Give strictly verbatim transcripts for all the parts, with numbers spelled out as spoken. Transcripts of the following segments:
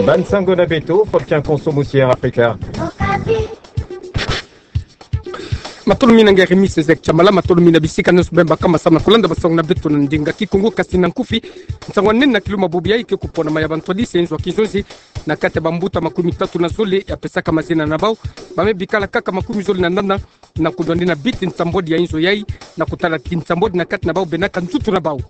Bansango na beto, Faustin Konso Musier Africa. Matolo mina nge Remis Ezek Chamala, matolo mina bisika nyonso bemba kama samu na kolanda bansango na beto na ndinga Kikongo, kasi na nkufi. Nsango nene na kilumbu bubu yayi ke kupona maya bantwadisi ya inzo ya kinzonzi na kati ya bambuta makumi tatu na zole ya pesaka mazina na bau. Ba me bikala kaka makumi zole na nana na kundwani na biti nsambwadi ya inzo yayi, na kutala ti nsambwadi na kati na bau benaka nzutu na bau.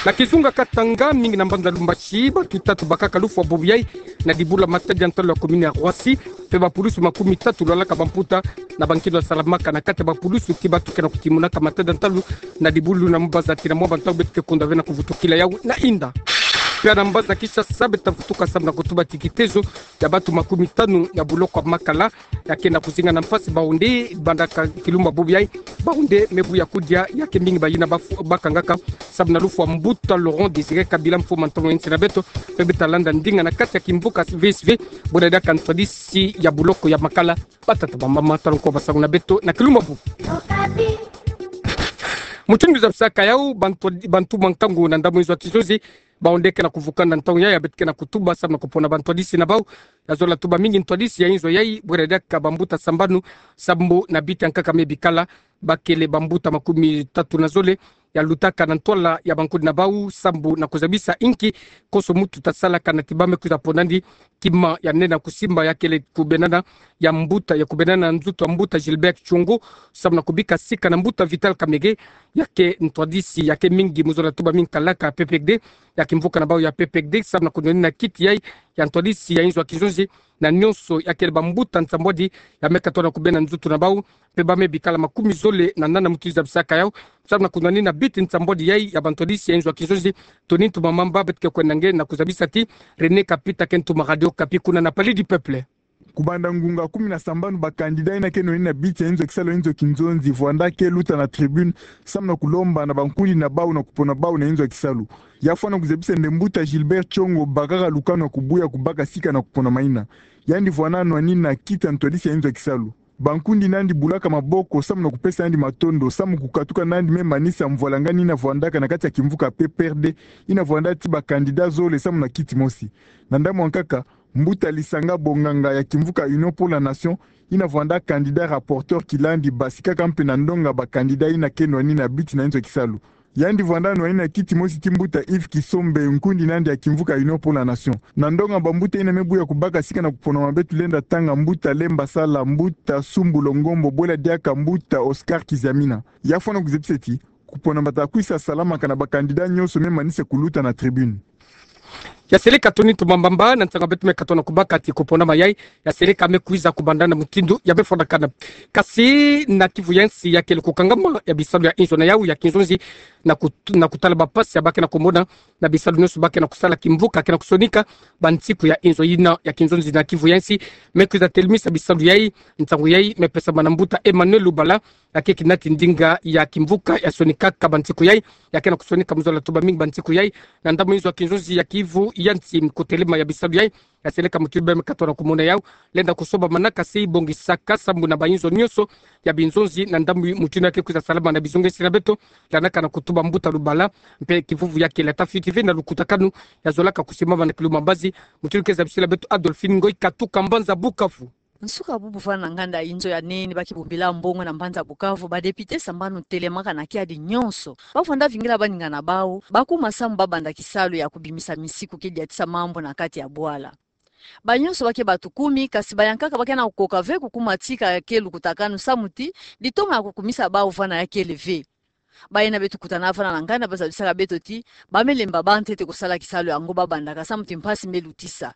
Na kizunga Katanga, mingi na mbanza Lumbashi, batu tatu bakaka lufwa bubu yayi na dibula matadi ya ntalu ya commune ya Roissy, mpe bapulusu makumi tatu lwalaka bamputa na bankindo ya salamaka na kati ya bapulusu ti batu ke na kutimunaka matadi ya ntalu na dibulu na mbanza tina mwa bantangu beto ke kunda ve na kuvutukila yawu na inda. Mpe na mbanza Kinshasa, beto ta vutuka samu na kutuba ti kitezo ya batu makumi tanu ya buloko ya Makala ya ke na kuzinga na mpasi. Bau nde banda ka kilumbu bubu yayi, bau nde me buya kudia ya ke mingi bayina bafu-, bakangaka samu na lufwa mbuta Laurent Désiré Kabila, mfo mantomo ya nsi na beto. Mpe beto ta landa ndinga na kati ya kimvuka V S V, buna diaka ntwadisi ya buloko ya Makala. Batata, bamama, tala nko bansango na beto na kilumbu bubu. Mutindu zabisaka yawu, bantu, bantu mwa nkangu na ndambu inzo ya kinzonzi, bau nde ke na kuvukana na ntangu yayi ya beto ke na kutuba samu na kupona bantwadisi na bau. Ya zola tuba mingi ntwadisi ya inzo yayi, bwera diaka bambuta sambanu, sambu na biti ya nkaka me bikala, bakele bambuta makumi tatu na zole ya lutaka na ntwala ya bankundi na bau, sambu na kuzabisa inki konso muntu ta salaka na ti ba me kwiza pona ndi kima ya nene ya kusimba ya kele kubenana ya mbuta, ya kubenana nzutu ya mbuta Gilbert Tshongo, samu na kubika sika na mbuta Vital Kamerhe, ya ke ntwadisi ya ke mingi, mu zola tuba mingi kalaka P P R D, ya kimvuka na bau ya P P R D, samu na kundwani na kiti yayi ya ntwadisi ya inzo ya kinzonzi na nyonso ya kele bambuta nsambwadi ya me katoa na kubena nzutu na bau, mpe ba me bikala makumi zole na nana, mutindu zabisaka yawu, samu na kundwani na biti nsambwadi yayi ya bantwadisi ya inzo ya kinzonzi. Tony Ntumamamba beto ke kwenda nge na kuzabisa ti René Kapi ta ke ntuma Radio Okapi kuna na Palais du Peuple. Kubanda ngunga kumi na sambanu, bakandida yina ke nwani na biti ya inzo ya kisalu ya inzo ya kinzonzi vwanda ke luta na tribune samu na kulomba na bankundi na bau na kupona bau na inzo ya kisalu. Ya fwana kuzabisa nde mbuta Gilbert Tshongo bakaka lukanu ya kubuya kubaka sika na kupona mayina. Yandi vwanda nwani na kiti ya ntwadisi ya inzo ya kisalu. Bankundi nandi bulaka maboko samu na kupesa yandi matondo samu kukatuka nandi me manisa mvwalangani yina vwandaka na kati ya kimvuka P P R D, yina vwanda ti bakandida zole samu na kiti mosi. Na ndambu ya nkaka, mbuta Lisanga Bonganga ya kimvuka Union pour la Nation, yina vwanda kandida rapporteur kilandi basikaka mpe na ndonga bakandida yina ke nwani na biti na inzo ya kisalu. Yandi vwanda nwani na kiti mosi ti mbuta Yves Kisombe, nkundi nandi ya kimvuka Union pour la Nation. Na ndonga bambuta yina me buya kubaka sika na kupona mabe, tulenda tanga mbuta Lemba Sala, mbuta Sumbu Longombo, bwela diaka mbuta Oscar Kiziamina. Ya fwana kuzabisa ti kupona mata kwisa salamaka na bakandida nyonso me manisa kuluta na tribune. Ya seleka Tony Ntumamamba, na nsanga beto me katoa na kubaka ti kupona mayayi ya seleka me kwiza kubanda na mutindu ya me fwanakana. Kasi na Kivu ya nsi ya kele kukangama ya bisalu ya inzo na yawu ya kinzonzi na kut-, na kutala bampasi ya ba ke na kumona na bisalu nyonso ba ke na kusala, kimvuka ke na kusonika bansiku ya inzo yina ya kinzonzi na Kivu ya nsi me kwiza telemisa bisalu yayi. Nsangu yayi me pesama na mbuta Emmanuel Lubala, ya ke kinati ndinga ya kimvuka ya sonikaka bansiku yayi, ya ke na kusonika, mu zola tuba mingi bansiku yayi na ndambu inzo ya kinzonzi ya Kivu ya nsi. Kutelema ya bisalu yayi ya seleka mutindu beno me katoa na kumona yawu, lenda kusoba manaka se ibongisaka sambu na bainzo nyonso ya binzonzi na ndambu mutindu ya ke kwiza salama na bizonga nsi na beto. Landaka na kutuba mbuta Lubala, mpe kivuvu ya kele ata fioti ve na lukutakanu ya zolaka kusimama na kilumbu mbazi, mutindu ke zabisila beto Adolphine Ngoyi Katuka, mbanza Bukavu. Nsuka bubu vwanda na nganda inzo ya nene ba ke bombila mbongo na mbanza Bukavu, ba député sambanu telemaka na kiadi nyonso. Ba vwanda vingila baninga na bau ba kuma samu ba banda kisalu ya kubimisa misiku ke diatisa mambu na kati ya bwala. Ba nyonso ba ke batukumi, kasi bayankaka ba ke na kukoka ve kukuma tika ya ke lukutakanu samu ti litoma ya kukumisa bau vwanda ya kele ve. Bayina beto kutana vwanda na nganda ba zabisaka beto ti ba me lemba ba ntete kusala kisalu yango ba bandaka samu ti mpasi me lutisa.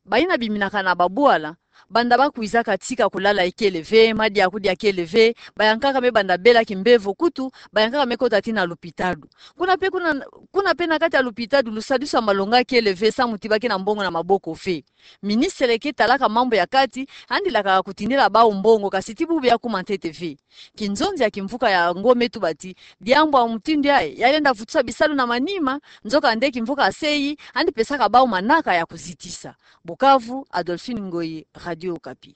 Bayina biminaka na babwala, banda ba kwizaka tika, kulala ikele ve, madia kudia kele ve, bayankaka me banda bela kimbevo, kutu bayankaka me kota tii na lupitalu. Kuna mpe, kuna, kuna mpe na kati ya lupitalu, lusadisu ya malonga kele ve samu ti ba ke na mbongo na maboko ve. Ministre ke talaka mambu ya kati, yandi lakaka kutindila bau mbongo, kasi tii bubu ya kuma ntete ve. Kinzonzi ya kimvuka yango me tuba ti diambu ya mutindu yayi ya lenda vutusa bisalu na manima, nzokande kimvuka ya se yi yandi pesaka bau manaka ya kuzitisa. Bukavu, Adolphine Ngoyi, Radio Okapi.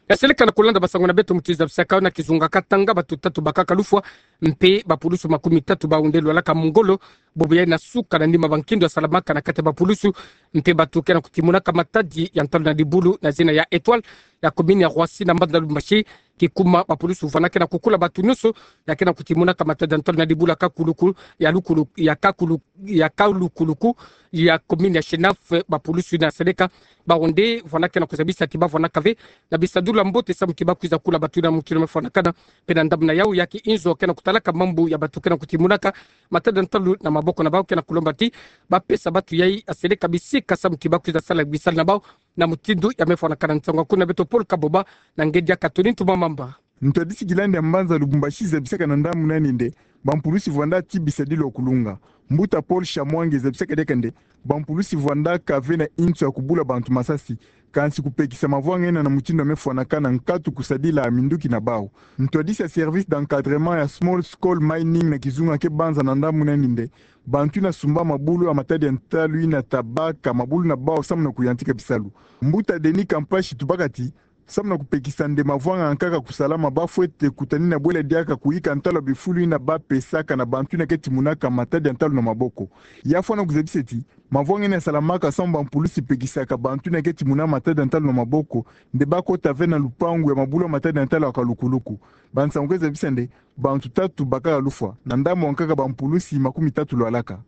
Ya seleka na kulanda basango na beto mutindu zabisaka yo, na kizunga Katanga, bato tatu bakaka lufwa mpe bapulusu makumi tatu bawu nde lwalaka mungolo, bobo yayi na suka na nima ba nkindo ya salamaka na kati ya bapulusu, mpe bato ke na kutimunaka matadi ya ntalu na dibulu na zina ya Etoile, ya commune ya Roissy na mbanza Lubumbashi, kikuma bapulusu vwanda ke na kukula bato nyonso ya ke na kutimunaka matadi ya ntalu na dibulu ya kakuluku, ya lukulu-, ya kakulu-, ya kalukuluku, ya commune ya Shenaf, bapulusu yina seleka, bawu nde vwanda ke na kuzabisa ti bavwandaka ve na bisadulu ya mbote samu ti bakwiza kula bato yina mutindu mefwanakana, mpe na ndambu na yawu ya kiinzo ke na kutalaka mambu ya bato ke na kutimunaka matadi ya ntalu na maboko na bawu ke na kulomba ti bapesa bato yayi ya seleka bisika samu ti bakwiza sala bisalu na bawu na mutindu ya mefwanakana. Nsangu kuna beto Paul Kaboba na ngedi ya Catherine Tumamamba. Ntwadisi Gilande ya mbanza Lubumbashi zabisaka na ndambu na yandi nde bampulusi vwanda ti bisadilu ya kulunga. Mbuta Paul Shamwange zabisaka diaka nde bampulusi vwandaka ve na inzo ya kubula bantu masasi, kansi kupekisa mavwanga yina na mutindu ya mefwanakana nkatu kusadila minduki na bawu. Ntwadisi ya service d'encadrement ya small scale mining na kizunga ke banza na ndambu na yandi nde bantu yina sumba mabulu ya matadi ya ntalu yina ta baka mabulu na bawu samu na kuyantika bisalu. Mbuta Denis Kampashi tubaka ti samu na kupekisa nde mavwanga yankaka kusalama, bafwete kutanina bwela diaka kuyika ntalu ya bifulu yina bapesaka na bantu yina ke timunaka matadi ya ntalu na maboko. Ya fwana kuzabisa ti mavwanga yina salamaka samu bampulusi pekisaka bantu yina ke timuna matadi ya ntalu na maboko nde bakota ve na lupangu ya mabulu ya matadi ya ntalu ya kalukuluku. Bansangu ke zabisa nde bantu tatu bakaka lufwa, na ndambu yankaka bampulusi makumi tatu lwalaka.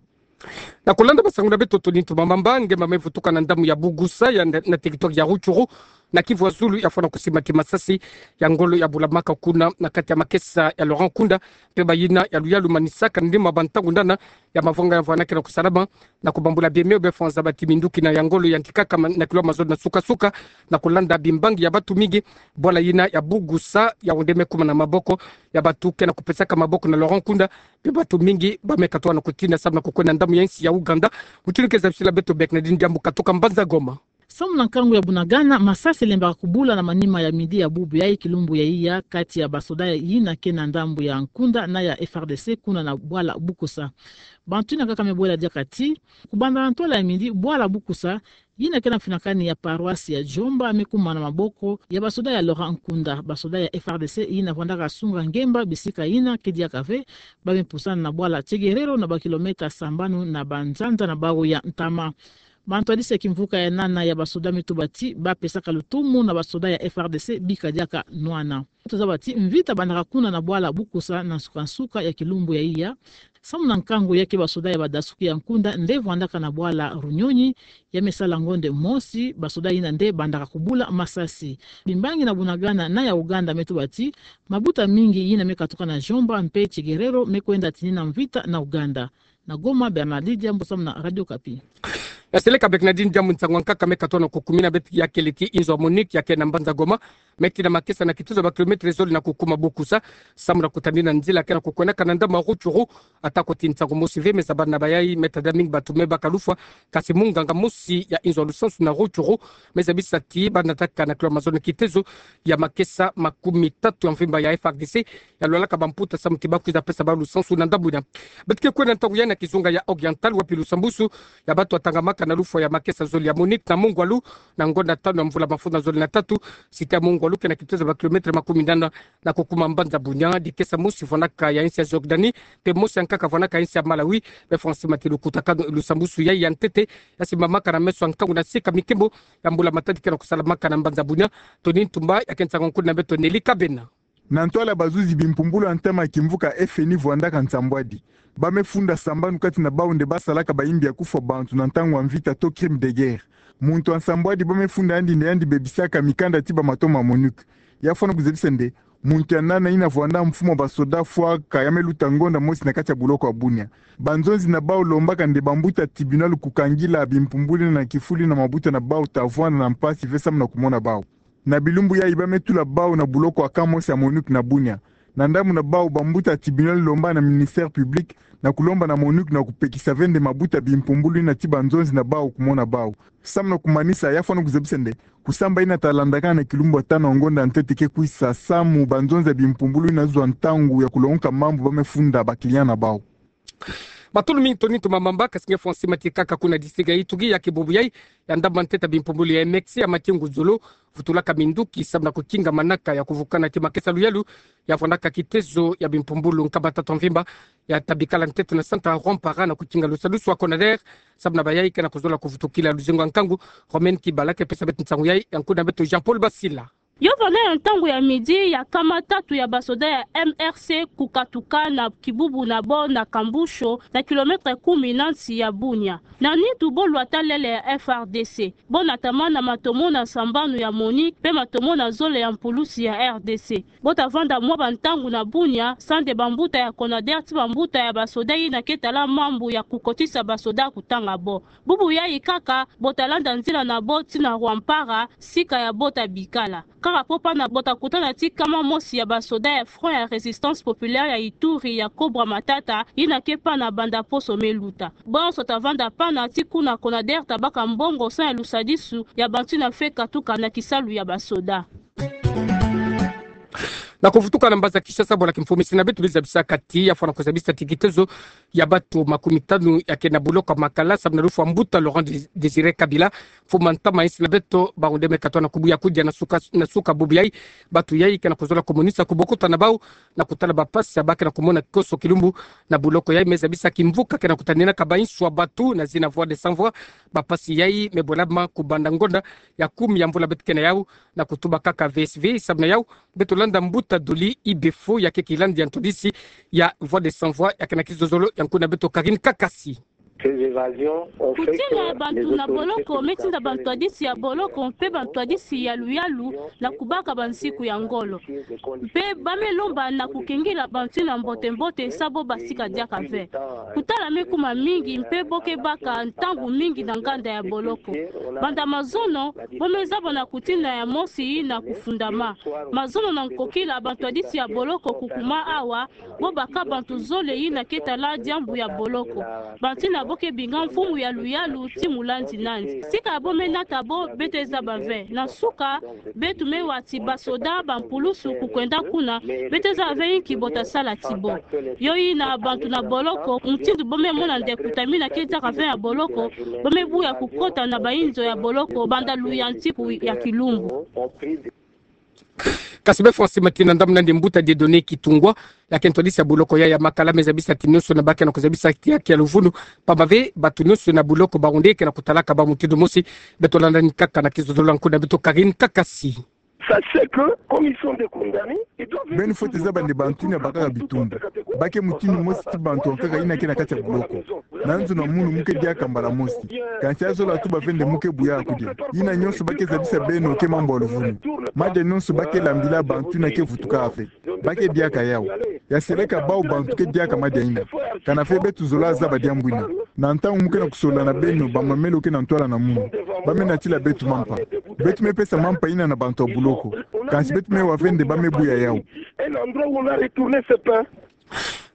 Na kulanda masangu na beto Tony Tumamamba, ngemba mevutuka na ndambu ya Bugusa ya na, na territoire ya Rutshuru, na Kivu ya zulu, ya fwana kusimba ti masasi ya ngolo ya bulamaka kuna na kati ya makesa ya Laurent Nkunda, mpe bayina ya luyalu manisaka nima ba ntangu nana ya mavwanga ya vwanda ke na kusalama, na kubambula biemeo bia fwanza ba ti minduki na ya ngolo yantikaka ma-, na kilo mazono na suka-suka, na kulanda bimbangi ya bato mingi, bwala yina ya Bugusa yawu nde mekuma na maboko ya bato ke na kupesaka maboko na Laurent Nkunda, mpe bato mingi bameka twa na kutinda samu na kukwenda ndambu ya insi ya Ouganda. Mutindu ke zabisila beto Bernardine Diambu katoka mbanza Goma. Samu na nkangu ya Bunagana, masasi elembaka kubula na manima ya midi ya bubu yayi kilumbu ya iya kati ya basoda yina ke na ndambu ya Nkunda na ya F R D C kuna na bwala Bukusa. Bantu yina kaka mebwela diaka ti kubanda na ntwala ya midi, bwala Bukusa yina ke na mfinakani ya paroisse ya Djomba mekuma na maboko ya basoda ya Laurent Nkunda. Basoda ya F R D C yina vwandaka sunga ngemba bisika yina ke diaka ve, bamepusana na bwala Tsegerero na bakilomètre sambanu na banzanza na bawu ya ntama. Bantwadisi ya kimvuka ya nana ya basoda metuba ti bapesaka lutumu na basoda ya F R D C bika diaka nwana. Tozaba ti mvita bandaka kuna na bwala Bukusa na nsuka-nsuka ya kilumbu ya iya. Samu na nkangu ya ke basoda ya badasuki ya Nkunda nde vwandaka na bwala Runyonyi, ya mesala ngonde mosi, basoda yina nde bandaka kubula masasi. Bimbangi na Bunagana na ya Ouganda metuba ti mabuta mingi yina mekatuka na Djomba mpe Tsegerero mekwenda tinina mvita na Ouganda. Na Goma, Bernardine Diambu samu na Radio Okapi. Ya seleka Bernardine Diambu, nsangu yankaka meka twa na kukumina beto ya kele ti inzo ya MONUC ya ke na mbanza Goma, me tina makesa na kitezo ba kilomètre zole na kukuma Bukusa, samu na kutanina nzila ke na kukwendaka na ndambu ya Rutshuru. Atako ti nsangu mosi ve, me zabana na bayayi me tada mingi bato mebaka lufwa, kasi munganga mosi ya inzo ya lusansu na Rutshuru me zabisa ti banataka na kilo mazono kitezo ya makesa makumi tatu ya mvimba ya F R D C ya lwalaka bamputa samu ti bakwiza pesa bawu lusansu na ndambu yina. Beto ke kwenda ntangu yai na kizunga ya Oriental, wapi lusambusu ya bato watangamaka na lufwa ya makesa zole ya MONUC na Mungwalu, na ngonda tanu ya mvula mafuta zole na tatu, site ya Mungwalu ke na kitezo ba kilomètre makumi nana na kukuma mbanza Bunia. Dikesa mosi vwanaka ya insi ya Jordanie, mpe mosi yankaka vwanaka ya insi ya Malawi, me fwa nsi mati lukutakanu lusambusu yai ya ntete ya simbamaka na meso ya nkangu na sika mikembo ya mbula matadi ke na kusalamaka na mbanza Bunia. Tony Ntumba ya ke nsangu nkulu na beto Nelly Kabena. Na ntwala bazuzi bimpumbulu ya ntama ya kimvuka F N I vwandaka nsambwadi. Bamefunda sambanu kati na bawu nde basalaka bayimbi ya kufwa bantu na ntangu ya mvita to crime de guerre. Muntu ya nsambwadi bamefunda yandi nde yandi bebisaka mikanda ti bamato ma MONUC. Ya fwana kuzabisa nde muntu ya nana yina vwanda mfumu ya basoda fwaka ya meluta ngonda mosi na kati ya buloko ya Bunia. Banzonzi na bawu lombaka nde bambuta tribunal kukangila bimpumbulu yina na kifulu yina mabuta na bawu ta vwanda na mpasi ve samu na kumona bawu. Na bilumbu yayi bametula bawu na buloko ya camp mosi ya MONUC na Bunia. Na ndambu na bawu, bambuta tribunal lomba na ministère public na kulomba na MONUC na kupekisa ve nde mabuta bimpumbulu yina ti banzonzi na bawu kumona bawu. Samu na kumanisa, ya fwana kuzabisa nde kusamba yina ta landakana na kilumbu ya tanu ya ngonda ntete ke kwisa samu banzonzi ya bimpumbulu yina zwa ntangu ya kulongoka mambu bamefunda ba client na bawu. Matolo mingi toni tumamamba, kasi nge François Mati kaka kuna district ya Ituri, ya kibubu yai, ya ndamba nteta bimpumbulu ya M X ya Matingu Zulu, vutulaka minduki sababu na kukinga manaka ya kuvukana ti makesa luyalu, ya vwanaka kitezo ya bimpumbulu nkama tatu mvimba, ya tabikala nteto na santa Rwampara na kukinga lusadusu wa Conader, sababu na bayai kena kuzola kuvutukila luzingu wa nkangu. Romain Kibala ke pesa beto nsangu yai, ya nkuna beto Jean-Paul Basila. Yo vana ya ntangu ya midi, ya nkama tatu ya basoda ya M R C kukatuka na kibubu na bo na Kambusho, na kilomètre kumi na nsi ya Bunia. Na nitu bo lwata lele ya F R D C. Bo natama na matomo na sambanu ya MONUC, mpe matomo na zole ya mpulusi ya R D C. Bo tavanda mwa bantangu na Bunia, sande bambuta ya Conader ti bambuta ya basoda yina ke tala mambu ya kukotisa basoda kutanga bo. Bubu yai kaka, bo talanda nzila na bo tii na Rwampara, sika ya bo tabikala. Kaka po pana bo takutana ti nkama mosi ya basoda ya Front ya Résistance Populaire ya Ituri ya Cobra Matata, yina ke pana banda poso me luta. Bo yonso tavanda pana ti kuna Conader tabaka mbongo sa ya lusadisu ya bantu yina fwe katuka na kisalu ya basoda. Na kuvutuka na mbanza Kinshasa, bwala kimfumisi na beto bizabisa kati ya fwana kuzabisa ti kitezo ya bato makumi tanu ya ke na boloko ya Makala, sababu na lufu wa mbuta Laurent Dé-, Désiré Kabila, mfumu a ntama insi na beto, bawu nde me katwa na kubuya kudia na suka, na suka bubu yai, bato yai kena kuzola kumonisa kubokuta na bawu, na kutala bapasi ya ba kena kumona koso kilumbu na boloko yai. Me zabisa kimvuka kena kutaninaka bainsi wa bato na zina Voix des Sans Voix, bapasi yai me bwelama kubanda ngonda ya kumi ya mvula beto ke na yawu, na kutuba kaka V S V, sababu na yawu, beto landa mbuta Dolly Ibefo, ya ke kilandi ya ntwadisi ya Voix des Sans Voix, ya ke na kizozolo ya nkuna beto Karine Kakasi. Kutina ya bantu na boloko me tinda bantwadisi ya boloko mpe bantwadisi ya luyalu na kubaka bansiku ya ngolo. Mpe ba me lomba na kukengila bantu yina mbote-mbote sa bo basika diaka ve. Kutala me kuma mingi mpe bo ke baka ntangu mingi na nganda ya boloko. Banda mazono, bo me zaba na kutina ya mosi yina kufundama. Mazono na nkokila bantwadisi ya boloko kukuma awa, bo baka bantu zole yina ke tala diambu ya boloko. Bantu yina bo ke binga mfumu ya luyalu ti mulandi nandi. Sika bo me nata bo, beto zaba ve. Na nsuka, beto me wa ti basoda, bampulusu kukwenda kuna, beto zaba ve inki bo tasala ti bo. Yo yina bantu na boloko, mutindu bo me mona ndekuta mina ke diaka ve ya boloko, bo me buya kukota na bainzo ya boloko banda luyantiku ya kilumbu. Kasi bê Francis Matina, ndambu nandi mbuta Dieudonné Kitungwa, ya ke ntwadisi ya boloko ya, ya Makala, me zabisa ti nyonso yina ba ke na kuzabisa ti haki ya luvunu, pamba ve bato nyonso yina boloko bawu nde ke na kutalaka bawu mutindu mosi. Beto landa ni kaka na kizozolo ya nkuna beto Karine Kakasi. Sachez que, comme ils sont des condamnés, ils doivent... Beno fwete zaba nde bantu yina bakaka bitumbu ba ke mutindu mosi ti bantu ankaka yina ke na kati ya boloko. Na nzo na munu mu ke diaka mbala mosi. Kansi ya zola tuba ve nde mu ke buya kudia. Yina nyonso ba ke zabisa beno ke mambu ya luvunu. Madia nyonso ba ke lambila bantu yina ke vutuka ve. Ba ke diaka yawu. Ya seleka bawu bantu ke diaka madia yina. Kana ve beto zola zaba diambu yina. Na ntangu mu ke na kusolola na beno, bamamelo ke na ntwala na munu. Ba me natila beto mampa. Beto me pesa mampa yina na bantu ya boloko. Kansi beto me wa ve nde ba me buya yawu. Un endroit où on a retourné ses pains.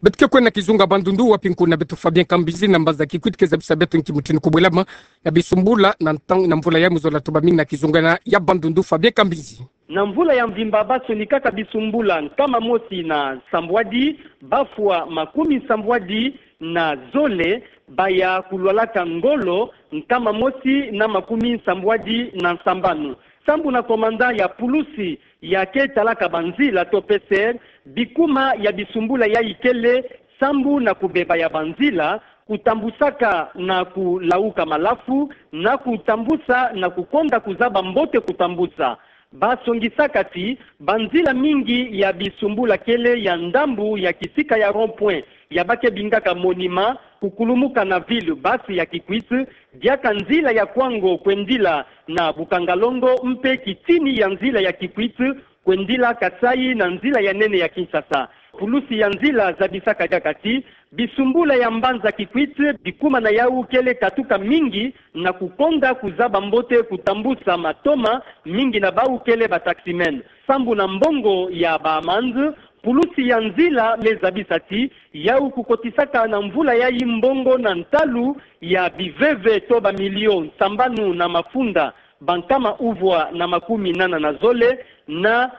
Beto ke kwenda na kizunga Bandundu, wapi nkuna beto Fabien Kambizi na mbanza Kikwit ke zabisa beto nki mutindu kubwelama ya bisumbula na ntangu na mvula ya muzolo tuba mingi na kizunga yina ya Bandundu. Fabien Kambizi. Na mvula ya mvimba ba sonikaka bisumbula nkama mosi na nsambwadi, ba fwa makumi nsambwadi na zole, ba ya kulwalaka ngolo nkama mosi na makumi nsambwadi na nsambanu. Sambu na komanda ya pulusi ya ke talaka banzila to P C R, bikuma ya bisumbula yayi kele sambu na kubeba ya banzila, kutambusaka na kulauka malafu, na kutambusa na kukonda kuzaba mbote kutambusa. Ba songisaka ti banzila mingi ya bisumbula kele ya ndambu ya kisika ya rond-point ya ba ke bingaka Monument, kukulumuka na ville basse ya Kikwit, diaka nzila ya Kwango kwendila na Bukangalongo mpe kitini ya nzila ya Kikwit kwendila Kasaï na nzila ya nene ya Kinshasa. Pulusi ya nzila zabisaka diaka ti bisumbula ya mbanza Kikwit, bikuma na yawu kele katuka mingi na kukonda kuzaba mbote kutambusa matoma, mingi na bawu kele ba taximen. Sambu na mbongo ya ba amende, pulusi ya nzila me zabisa ti yawu kukotisaka na mvula yayi mbongo na ntalu ya biveve to ba millions nsambanu na mafunda bankama uvwa na makumi nana na zole na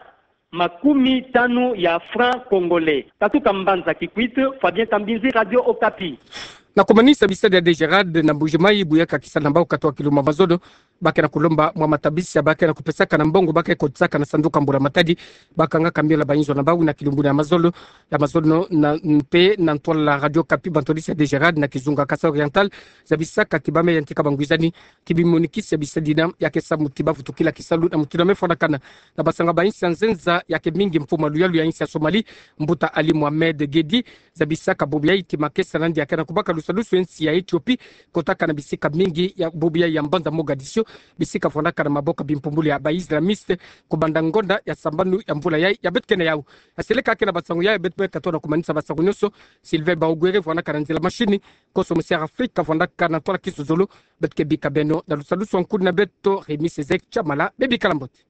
makumi tanu ya francs congolais. Katuka mbanza Kikwit, Fabien Kambinzi, Radio Okapi. Na kumanisa bisadi ya DGRAD na Mbuji-Mayi, buyaka kisa na mbau katwa kiluma mazono, ba ke na kulomba mwa matabisi ya ba ke na kupesaka na mbongo ba ke kotisaka na sanduku ya mbula matadi, bakanga kamion la bayinzo na bau na kilumbuni ya mazono, ya mazono na mpe na ntwala Radio Okapi, bantorisi ya DGRAD na kizunga Kasaï Oriental zabisaka ki bamai ya ntika bangwizani ki bimonikisi ya bisadi na ya ke sa muti bavutukila kisalu na muti na mefwanakana na basango ya bayinsi ya nzenza ya ke mingi, mfumu ya luyalu ya yinsi ya Somalie, Mbuta Ali Mohamed Gedi, zabisaka bobo yayi ti makesa nandi ya ke na kubaka lusalusu ya nsi ya Ethiopie, kotaka na bisika mingi ya bobo yayi ya mbanza Mogadiscio, bisika fwanaka na maboko ya bimpumbulu ya ba islamistes, kubanda ngonda ya sambanu ya mvula yayi ya beto ke na yawu. Aseleka ke na basango yayi, beto beka tona kumanisa basango nyonso. Sylvain Baogwere fwanaka na nzila mashini, Koso Musiara Afrika fwanaka na ntwala kisozolo. Beto ke bika beno na lusalusu ya nkuni na beto, Rémi Césaire Chamala, bebikala mbote.